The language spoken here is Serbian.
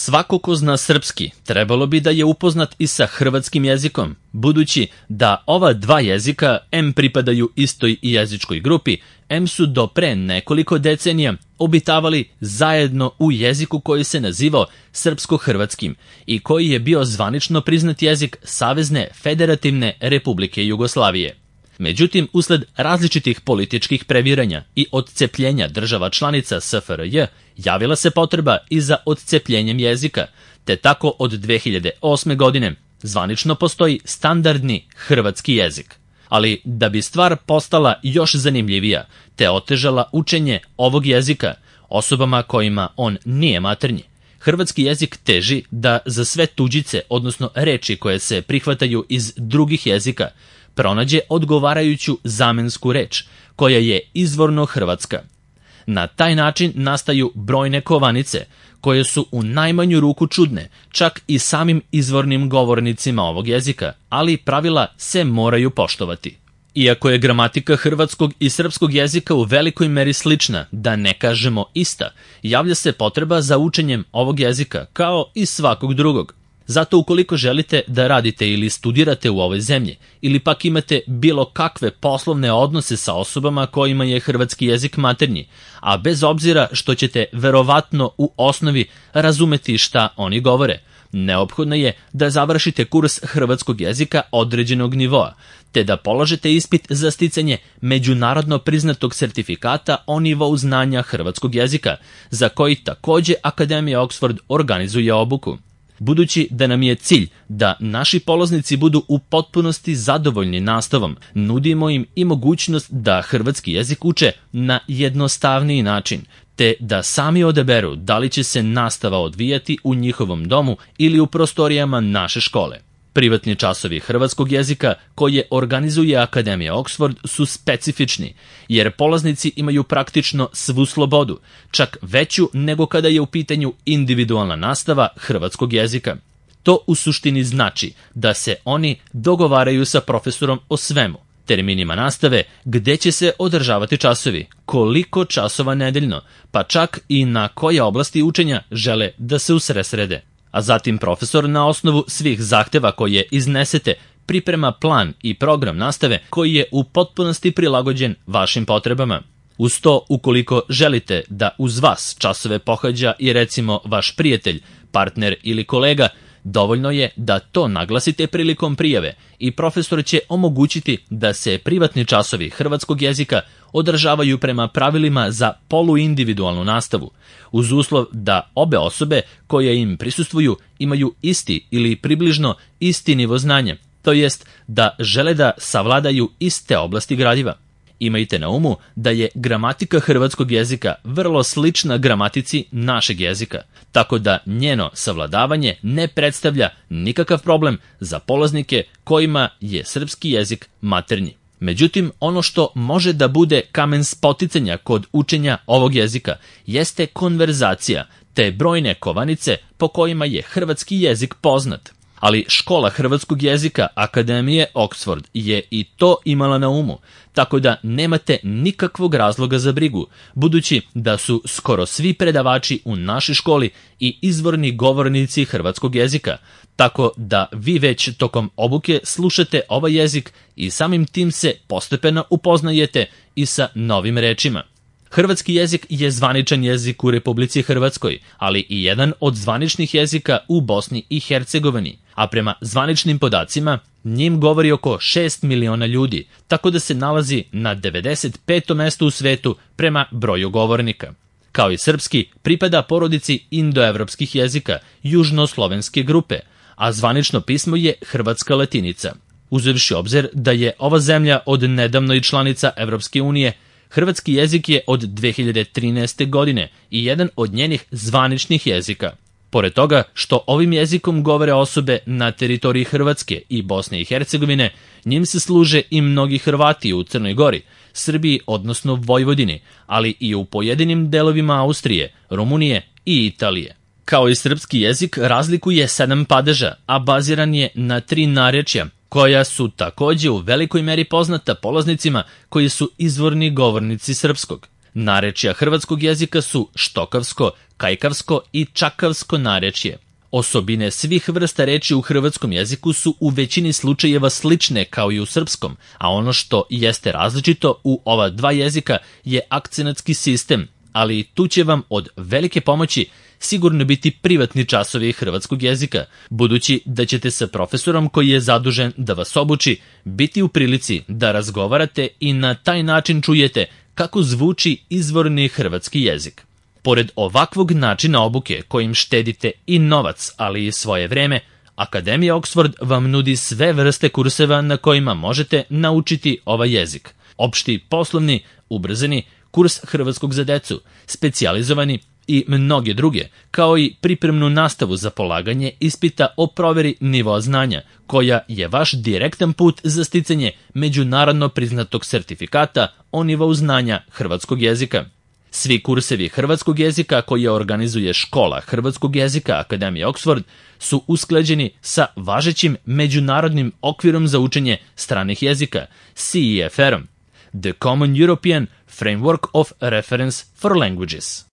Svako ko zna srpski trebalo bi da je upoznat i sa hrvatskim jezikom, budući da ova dva jezika em pripadaju istoj jezičkoj grupi, em su do pre nekoliko decenija obitavali zajedno u jeziku koji se nazivao srpsko-hrvatskim i koji je bio zvanično priznat jezik Savezne Federativne Republike Jugoslavije. Međutim, usled različitih političkih previranja i odcepljenja država članica SFRJ, javila se potreba i za odcepljenjem jezika, te tako od 2008. godine zvanično postoji standardni hrvatski jezik. Ali da bi stvar postala još zanimljivija, te otežala učenje ovog jezika osobama kojima on nije maternji, hrvatski jezik teži da za sve tuđice, odnosno reči koje se prihvataju iz drugih jezika, pronađe odgovarajuću zamensku reč, koja je izvorno hrvatska. Na taj način nastaju brojne kovanice, koje su u najmanju ruku čudne, čak i samim izvornim govornicima ovog jezika, ali pravila se moraju poštovati. Iako je gramatika hrvatskog i srpskog jezika u velikoj meri slična, da ne kažemo ista, javlja se potreba za učenjem ovog jezika, kao i svakog drugog. Zato ukoliko želite da radite ili studirate u ovoj zemlji, ili pak imate bilo kakve poslovne odnose sa osobama kojima je hrvatski jezik maternji, a bez obzira što ćete verovatno u osnovi razumeti šta oni govore, neophodno je da završite kurs hrvatskog jezika određenog nivoa, te da polažete ispit za sticanje međunarodno priznatog sertifikata o nivou znanja hrvatskog jezika, za koji takođe Akademija Oxford organizuje obuku. Budući da nam je cilj da naši polaznici budu u potpunosti zadovoljni nastavom, nudimo im i mogućnost da hrvatski jezik uče na jednostavniji način, te da sami odaberu da li će se nastava odvijati u njihovom domu ili u prostorijama naše škole. Privatni časovi hrvatskog jezika koje organizuje Akademija Oxford su specifični, jer polaznici imaju praktično svu slobodu, čak veću nego kada je u pitanju individualna nastava hrvatskog jezika. To u suštini znači da se oni dogovaraju sa profesorom o svemu, terminima nastave, gde će se održavati časovi, koliko časova nedeljno, pa čak i na koje oblasti učenja žele da se usredsrede. A zatim profesor na osnovu svih zahteva koje iznesete priprema plan i program nastave koji je u potpunosti prilagođen vašim potrebama. Uz to, ukoliko želite da uz vas časove pohađa i recimo vaš prijatelj, partner ili kolega, dovoljno je da to naglasite prilikom prijave i profesor će omogućiti da se privatni časovi hrvatskog jezika održavaju prema pravilima za poluindividualnu nastavu, uz uslov da obe osobe koje im prisustvuju imaju isti ili približno isti nivo znanja, to jest da žele da savladaju iste oblasti gradiva. Imajte na umu da je gramatika hrvatskog jezika vrlo slična gramatici našeg jezika, tako da njeno savladavanje ne predstavlja nikakav problem za polaznike kojima je srpski jezik maternji. Međutim, ono što može da bude kamen spoticanja kod učenja ovog jezika jeste konverzacija, te brojne kovanice po kojima je hrvatski jezik poznat. Ali škola hrvatskog jezika Akademije Oxford je i to imala na umu, tako da nemate nikakvog razloga za brigu, budući da su skoro svi predavači u našoj školi i izvorni govornici hrvatskog jezika, tako da vi već tokom obuke slušate ovaj jezik i samim tim se postepeno upoznajete i sa novim rečima. Hrvatski jezik je zvaničan jezik u Republici Hrvatskoj, ali i jedan od zvaničnih jezika u Bosni i Hercegovini, a prema zvaničnim podacima njim govori oko 6 miliona ljudi, tako da se nalazi na 95. mestu u svetu prema broju govornika. Kao i srpski, pripada porodici indoevropskih jezika, južnoslovenske grupe, a zvanično pismo je hrvatska latinica. Uzevši obzir da je ova zemlja od nedavno i članica Evropske unije, hrvatski jezik je od 2013. godine i jedan od njenih zvaničnih jezika. Pored toga što ovim jezikom govore osobe na teritoriji Hrvatske i Bosne i Hercegovine, njim se služe i mnogi Hrvati u Crnoj Gori, Srbiji odnosno Vojvodini, ali i u pojedinim delovima Austrije, Rumunije i Italije. Kao i srpski jezik razlikuje 7 padeža, a baziran je na 3 narečja, koja su takođe u velikoj meri poznata polaznicima koji su izvorni govornici srpskog. Narečja hrvatskog jezika su štokavsko, kajkavsko i čakavsko narečje. Osobine svih vrsta reči u hrvatskom jeziku su u većini slučajeva slične kao i u srpskom, a ono što jeste različito u ova dva jezika je akcenatski sistem, ali tu će vam od velike pomoći sigurno biti privatni časovi hrvatskog jezika, budući da ćete sa profesorom koji je zadužen da vas obuči biti u prilici da razgovarate i na taj način čujete kako zvuči izvorni hrvatski jezik. Pored ovakvog načina obuke kojim štedite i novac, ali i svoje vreme, Akademija Oxford vam nudi sve vrste kurseva na kojima možete naučiti ovaj jezik. Opšti, poslovni, ubrzani, kurs hrvatskog za decu, specijalizovani i mnoge druge, kao i pripremnu nastavu za polaganje ispita o proveri nivoa znanja, koja je vaš direktan put za sticanje međunarodno priznatog sertifikata o nivou znanja hrvatskog jezika. Svi kursevi hrvatskog jezika koje organizuje Škola hrvatskog jezika Akademije Oxford su usklađeni sa važećim međunarodnim okvirom za učenje stranih jezika, CEFR-om, The Common European Framework of Reference for Languages.